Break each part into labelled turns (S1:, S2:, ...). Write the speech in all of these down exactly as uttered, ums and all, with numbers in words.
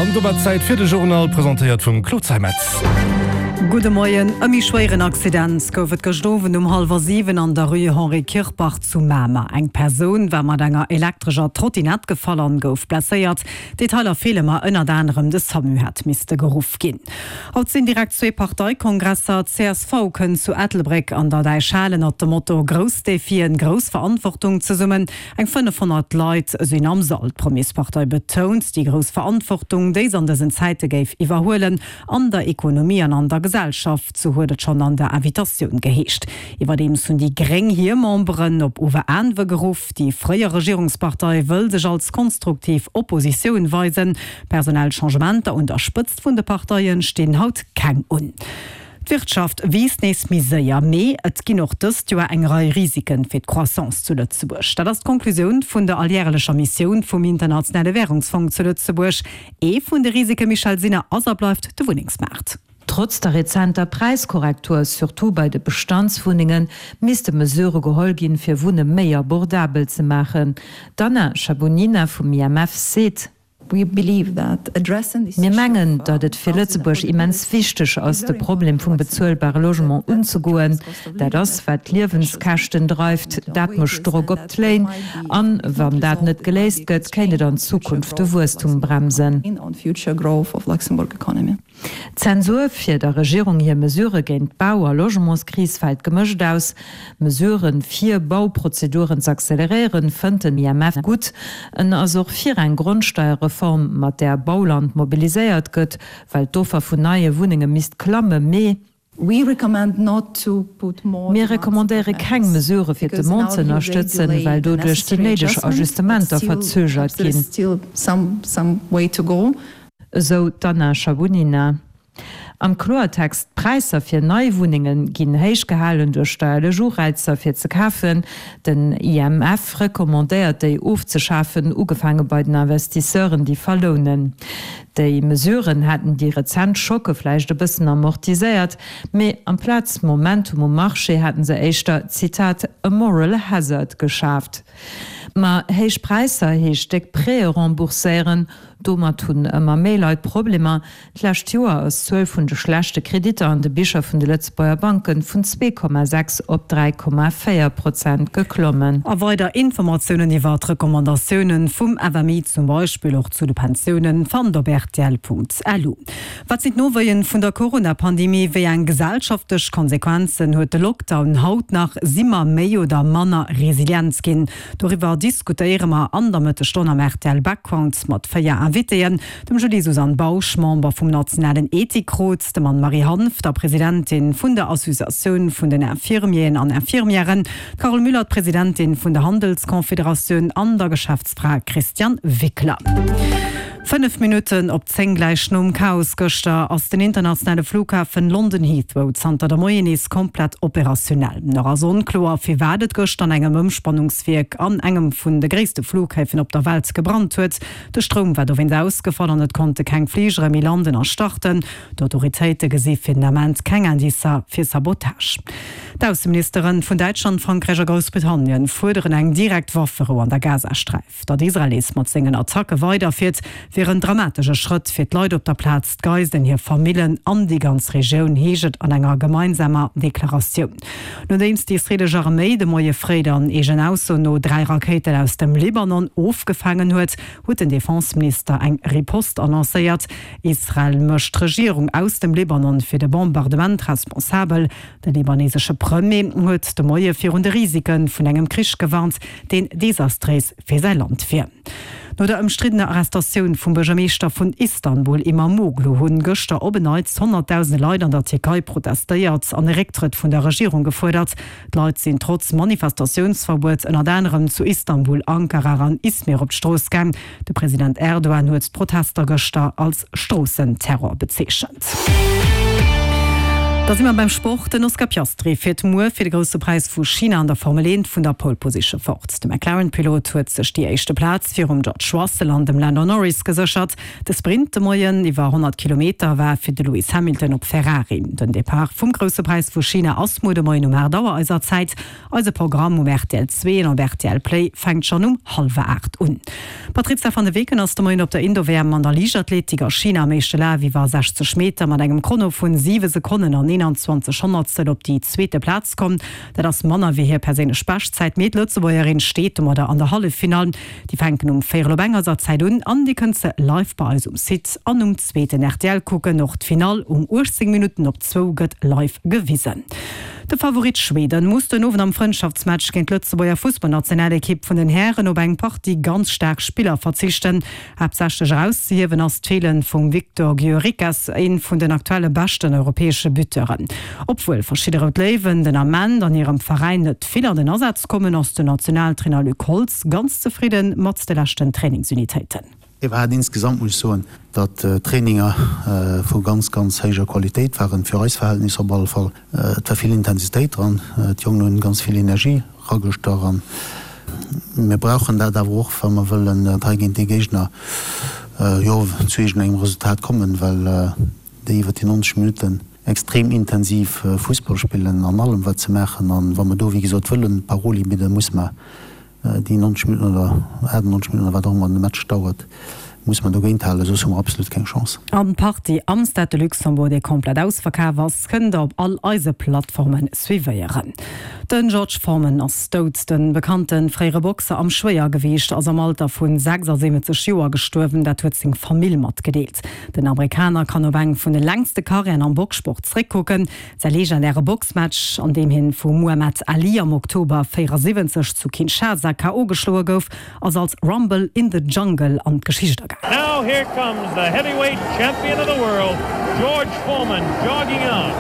S1: An domat Zäit fir de Journal, presentéiert vum Claude Zeimetz.
S2: Gudde Moien. E méi schwéieren Accident gouf et gëscht Owend um hallwer siwen an der Rue Henri Kirpach zu Mamer. Eng Persoun war mat enger elektrescher Trottinett gefall an gouf blesséiert. Detailer feele mer, ënnert anerem de Samu hätt misste geruff ginn. Haut sinn direkt zwee Parteikongresser. D'CSV kënnt zu Ettelbréck an der Däichhal ënnert dem Motto Grouss Defien, grouss Verantwortung zesummen. Eng fënnefhonnert Leit sinn am Sall. D'Premierspartei betount déi grouss Verantwortung, déi se an dësen Zäite géif iwwerhuelen an der Ekonomie an an der Gesellschaft, sou huet et schonn an der Invitatioun geheescht. Iwwerdeems hunn déi Gréng hir Memberen op Ueweräanwe geruff. Déi fréier Regierungspartei wëll sech als konstruktiv Oppositioun weisen. Personell Changementer un der Spëtzt vun de Parteie stinn haut keng un. D'Wirtschaft wiisst nees méi séier, mee et ginn och dëst Joer eng Rei Risiken fir d'Croissance zu Lëtzebuerg. Dat ass d'Konklusioun vun der alljärelecher Missioun vum Internationale Wärungsfong zu Lëtzebuerg. Ee vun de Risike, Michèle Sinner, ass a bleift de Wunnengsmaart.
S3: Trotz der rezenter Präiskorrektur, surtout bei de Bestandswunnengen, misste Mesurë geholl ginn, fir Wunne méi abordabel ze maachen. D'Anna Shabunina vum I M F seet. Mir mengen, datt et fir Lëtzebuerg immens wichteg ass, de Problem vum bezuelbare Logement unzegoen. Dat ass, wat d'Liewenskäschten dreift, dat mécht Drock op d'Léin. An wann dat net geléist gëtt, kéint et an Zukunft de Wuesstum bremsen. D'Zensur fir der Regierung hir Mesurë géint d'Bau a Logementskris fält gemëscht aus. Mesuren, fir Bauprozeduren z'acceleréieren, fënnt den I M F gutt. En ass och fir eng Grondsteierreform, mat där Bauland mobiliséiert gëtt, well d'Offer vun neie Wunnenge misst klammen. Mee. Mir recommandéiere keng Mesurë fir d'Demande ze ënnerstëtzen, well doduerch déi néideg Ajustementer verzögert ginn. Esou d'Anna Shabunina. Am Kloertext, D'Präisser fir nei Wunnenge ginn héich gehalen duerch steierlech Ureizer fir ze kafen. Den I M F recommandéiert déi ofzeschafen, ugefaange bei den Investisseuren déi verlounen. Déi Mesuren hätten déi rezent Schocke vläicht e bëssen amortiséiert, mee amplaz Momentum um Marché hätten se éischter, Zitat, a moral hazard geschaaft. Ma héich Präisser heescht déck Prêtë rembourséieren. Domat hunn ëmmer méi Leit Problemer. D'lescht Joer ass d'Zuel vun de schlechte Kreditter an de Bicher vun de Lëtzebuerger Banke vun zwee Komma sechs op dräi Komma véier Prozent geklommen.
S2: A weider Informatiounen iwwer d'Recommandatiounen vum F M I, zum Beispill och zu de Pensiounen, fannt op rtl Punkt L U. Wat sinn d'Nowéien vun der Corona-Pandemie? Wéi eng gesellschaftlech Konsequenzen huet de Lockdown haut nach? Si mer méi oder manner resilient ginn? Doriwwer diskutéiere mer an der Mëttesstonn am R T L Background mat véier Invitéen, dem Julie-Suzanne Bausch, Member vum nationalen Ethikrot, dem Anne-Marie Hanff, der Presidentin vun der Associatioun vun den Infirmieren an Infirmièren, d'Carole Müller, d'Presidentin vun der Handelsconfederatioun an der Geschäftsfra Christiane Wickler. Fënnef Minutten op zéng, gläich nom Chaos gëschter, ass den internationale Flughafen London Heathrow zanter de Moien nees komplett operationell. Nach ass onkloer, firwat et gëschter an engem Ëmspannungswierk an engem vun de gréisste Flughäfen op der Welt gebrannt huet. De Stroum war dowéinst ausgefall an et konnte keng Fligere méi landen a starten. D'Autoritéite gesi fir den Ament keng Indicer fir Sabotage. D'Ausseministeren vun Däitschland, Frankräich a Groussbritannien fuerderen eng direkt Wafferou an der Gazasträif. Datt Israel nees mat sengen Attacke weiderfiert, wier en dramatesche Schrëtt fir d'Leit op der Plaz, d'Geiselen, hir Famillen an déi ganz Regioun, heescht et an enger gemeinsamer Deklaratioun. Nodeems déi israeelesch Arméi de Moie fréi dann eegen Ausso no dräi Rakéiten aus dem Libanon ofgefaangen huet, huet den Defenseminister eng Riposte annoncéiert. Israel mécht d'Regierung aus dem Libanon fir de Bombardement responsabel. De libanesesche Premier huet de Moie virun de Risike vun engem Krich gewarnt, deen desastréis fir säi Land wier. No der ëmstriddener Arrestatioun vum Buergermeeschter vun Istanbul Imamoglu hunn gëschter op en Neits honnertdausende Leit an der Tierkei protestéiert an e Récktrëtt vun der Regierung gefuerdert. D'Leit sinn trotz Manifestatiounsverbuet ënnert anerem zu Istanbul, Ankara an Izmir op d'Strooss gaang. De President Erdogan huet d'Protester gëschter als Stroossenterror bezeechent. Da si mer beim Sport, Den Oscar Piastri fiert muer fir de Grousse Präis vu China an der Formel eent vun der Pole Position fort. De McLaren-Pilot huet sech déi éischte Plaz virum George Russell an dem Lando Norris geséchert. De Sprint de Moien iwwer honnert Kilometer war fir de Lewis Hamilton op Ferrari. Den Depart vum Grousse Präis vu China ass muer de Moien um aacht Auer eiser Zäit. Eise Programm um rtl zwee an op rtl Play fänkt schonn um hallwer aacht un. D'Patrizia van de Weken ass de Moien op der Indo-W M an der Liichtathletik a China am éischte Laf iwwer sechzeg Meter mat engem Chrono vun siwe Sekonnen an eenanzwanzeg Honnertstel op déi zweete Plaz komm. Dat ass manner wéi hir perséinlech Beschtzäit, mee d'Lëtzebuergerin steet domadder an der Halleffinall. Déi fänken um véierel op eng eiser Zäit un an Dir kënnt se live bei eis um Site an um zweeten rtl kucken. Och d'Finall um uechtzéng Minutten op zwou gëtt live gewisen. De Favorit Schweden muss den Owend am Frëndschaftsmatch géint d'Lëtzebuerger Fussballnationalekipp vun den Hären op eng Partie ganz staark Spiller verzichten. Haaptsächlech erauszehiewen ass d'Feelen vum Viktor Gyökeres, een vun den aktuelle beschten europäesche Buteuren. Obwuel verschidde Rout Léiwen den Ament an hirem Veräin net vill an den Asaz kommen, ass den Nationaltrainer Luc Holtz ganz zefridde mat de leschten Trainingsunitéiten.
S4: Et war insgesamt, muss ech soen, datt d'Traininger vu ganz, ganz héijer Qualitéit waren, fir eis Verhältnisser op alle Fall. Et war vill Intensitéit dran, d'Jongen hunn ganz vill Energie ragestach an mir brauchen dat awer och, wa mer wëllen hei géint déi Géigner, jo, zu iergendengem Resultat kommen, well déi iwwer déi neunzeg Minutten extrem intensiv Fussball spillen an allem wat se maachen. An wa mer do, wéi gesot, wëllen Paroli bidden, musse mer déi neunzeg Minutten oder achtundneunzeg Minutten oder wat och ëmmer de Match dauert, musse mer dogéint halen, soss hu mer absolut keng Chance.
S2: An d'Partie am Stade de Luxembourg, déi komplett ausverkaf ass, kënnt der op all eise Plattforme suivéieren. Den George Foreman ass dout. De bekannte fréiere Boxer am Schwéiergewiicht ass am Alter vu sechsasiwwenzeg Joer gestuerwen, dat huet seng Famill matgedeelt. Den Amerikaner kann op eng vun de längste Karriären am Boxsport zréckkucken. Säi legendäre Boxmatch, an deem hien vum Muhammad Ali am Oktober véierasiwwenzeg zu Kinshasa K O geschloe gouf, ass als Rumble in the Jungle an d'Geschicht agaangen.
S5: Now here comes the heavyweight champion of the world, George Foreman, jogging out.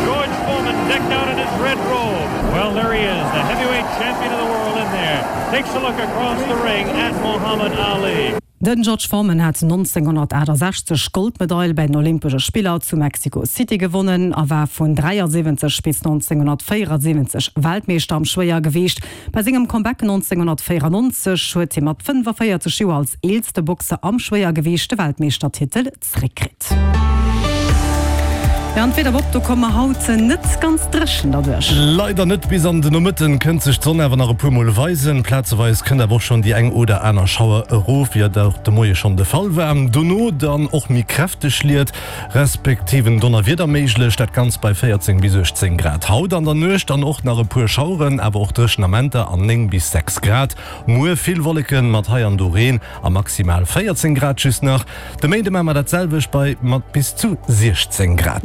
S5: George Foreman decked out in his red robe. Well, there he is, the heavyweight champion of the world in there. Takes a look across the ring at Muhammad Ali.
S2: Den George Foreman hat nonzénghonnertaachtasechzeg d'Goldmedail bei den Olympesche Spiller zu Mexico City gewonnen a war vun dräiasiwwenzeg bis nonzénghonnertvéierasiwwenzeg Weltmeeschter am Schwéiergewiicht. Bei sengem Comeback nonzénghonnertvéierannonzeg huet hie mat fënnefaféierzeg Joer als eelste Boxer am Schwéiergewiicht de Weltmeeschtertitel zeréckkritt. Jo, an d'Wieder Bob, do komme mer haut net ganz dréchen derduerch.
S1: Leider net, bis an de Nomëtten kënnt sech d'Sonn awer nach e puer mol weisen. Plazeweis kënnt awer och schonn déi eng oder aner Schauer erof, wéi et och de Moie schonn de Fall war. Dono dann och méi kräfteg Liet respektiv en Donnerwieder méiglech, dat Ganzt bei véierzéng bis uechtzéng Grad. Haut an der Nuecht dann och nach e puer Schaueren, awer och dréchen Amenter an néng bis sechs Grad. Muer vill Wolleken mat hei an do Reen a maximal véierzéng Grad just nach. De Méinde maache mer dat selwecht bei mat bis zu siechzéng Grad.